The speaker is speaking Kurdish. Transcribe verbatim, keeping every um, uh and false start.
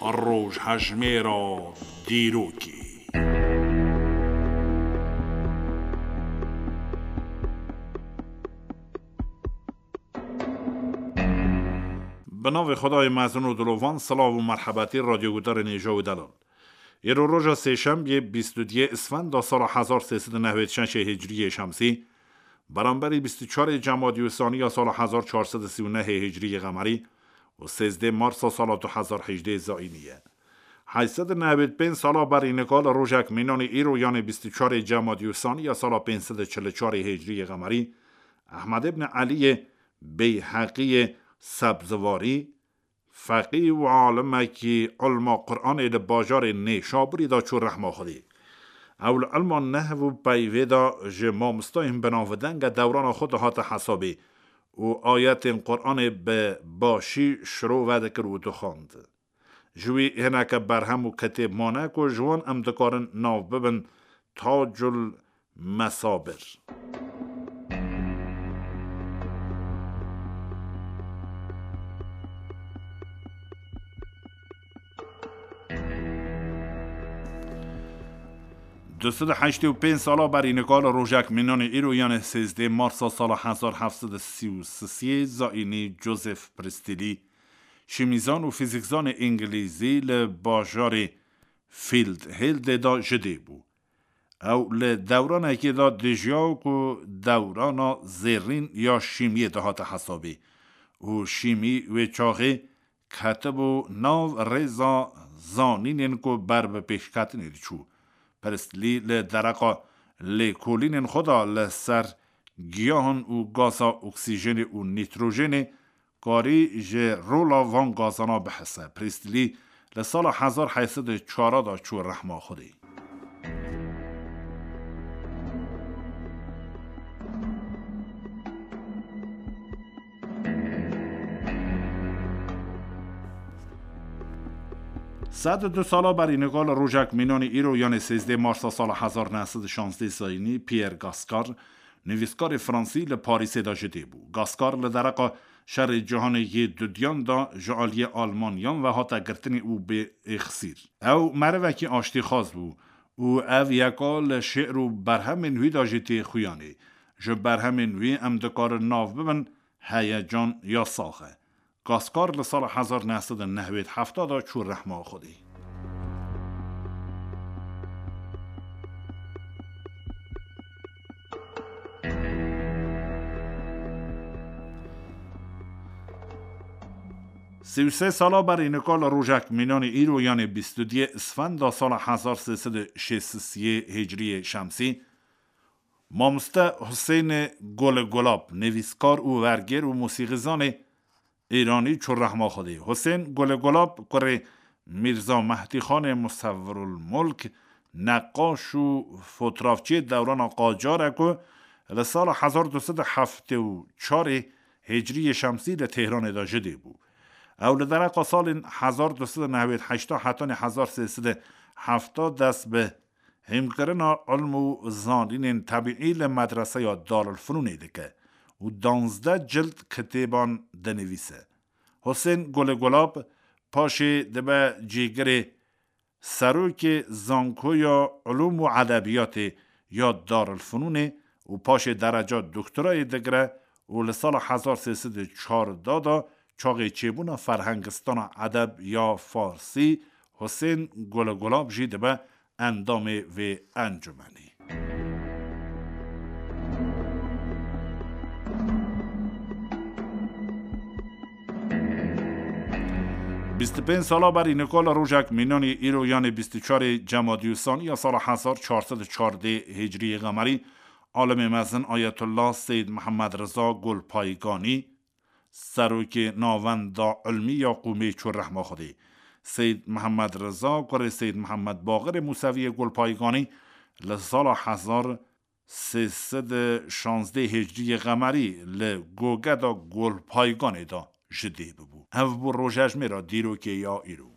Rojhejmêra dîrokê. Bi navê Xwedayê mezin û dilovan, silav û merhebetî radyogudarên hêja û delal. Îro roja sêşembiyê bîst û duyê Isfenda sala hezar sê sed û newêd şeşê Hicriyê Şemsî, beramberî bîst û çarê Cemadî û Sanî ya sala hezar çar sed û sî û nehê Hicriyê Qemerî û sêzdê Marsa sala du hezar hejdê Zayînî ye. Heyt sed û newêd pênc sala berî nika li rojek mînanî îro, yanê bîst û çarê Cemadî û Sanî ya sala pênc sed û çil û çarê Hicriyê Qemerî, Ehmed îbn Eliyê Beyheqiyê Sebzivarî, feqî û alimekî ilma Quranê li bajarê Nêşabûrî de çû rehma Xwedê. Ew li ilma nehv û peyvê de ji mamostayên binavdenge dewrana xwe dihate hesabê û ayetên Quranê bi başî şirove dikir û dixwend. Ji wî hineke berhem û kitêb mane ku ji wan em dikarin nav bibin Tacul Mesabir. Du sed û heştê û pênc sala berî nika li rojek mînanê îro, yanê sêzdê Marsa sala hezar heft sed û sî û sisê Zayînî, Joseph Priestley, şîmîzan û fîzîkzanê îngilîzî, li bajarê Field Hildê de ji dê bû. Ew li dewranekê de dijiya ku dewrana zêrîn ya şîmiyê dihate hesabê û şîmî wê çaxê ketibû nav rêza zanînên ku ber bi pêşketinê diçû. Priestley li dereqa lêkolînên xwe de li ser giyahan û gaza oksîjenê û nîtrojenê karî ji rola van gazana bihese. Priestley li sala hezar heyt sed û çar de çû rehma Xwedê. Sed û du sala berî nika li rojek mînanî îro, yanê sêzdê Marsa sala hezar neh sed û şazdê Zayînî, Pierre Gascar, nivîskarê Fransî, li Parîsê de ji dê bû. Gascar li dereqa Şerê Cîhanê yê Dudiyan de ji aliyê Almanyan ve hate girtinê û bê êxsîr. Ew merivekî aştîxwaz bû û ev yeka li şi'r û berhemên wî de jî tê xuyanê. Ji berhemên wî em dikarin nav bibin Heyecan ya Saxe. Gaskar li sala hezar neh sed û newêd hefta de çû rehma Xwedê. Sî û sê sala berî nika li rojek mînanî îro, yanê bîst û duyê Isfenda sala hezar sê sed û şêst û sê Hicriyê Şemsî, mamoste Husênê Gulê Gulab, nivîskar û wergêr û mûsîqîzanê Îranî çû rehma Xwedê. Husên Gulê Gulab, kurê Mîrza Mehdî Xanê Musewwirul Mulk, neqaş û fotrafçiyê dewrana Qacar e ku li sala hezar du sed û heftê û çarê Hicriyê Şemsî li Tehranê de ji dê bû. Ew li dereqa salên hezar du sed û newêd heşta hetanî hezar sê sed û hefta dest bi hîmkirina ilm û zanînên tebîî li medreseya Darulfunûnê dike û danzdeh cild kitêban dinivîse. Husên Gulê Gulab paşê dibe cîgirê serokê Zankoya Ilûm û Edebiyatê ya Darulfunûnê û paşê dereca doktorayê digire û li sala hezar sê sed û çardeh de çaxê çêbûna Ferhengistana Edeb ya Farsî, Husên Gulê Gulab jî dibe endamê vê encûmenê. Bîst û pênc sala berî nika li rojek mînanî îro, yanê bîst û çarê Cemadî Ussanî ya sala hezar çar sed û çardê Hicriyê Qemerî, alimê mezin Ayetullah Seyyid Mihemed Riza Gulpayganî, serokê Navenda Ilmî ya Qûmê çû rehma Xwedê. Seyyid Mihemed Riza, kurê Seyyid Mihemed Baqirê Mûseviyê Gulpayganî, li sala hezar sê sed û şazdeh Hicriyê Qemerî li Gogeda Gulpayganê de ji dê bibû. Ev bû rojejmêra dîrokê ya îro.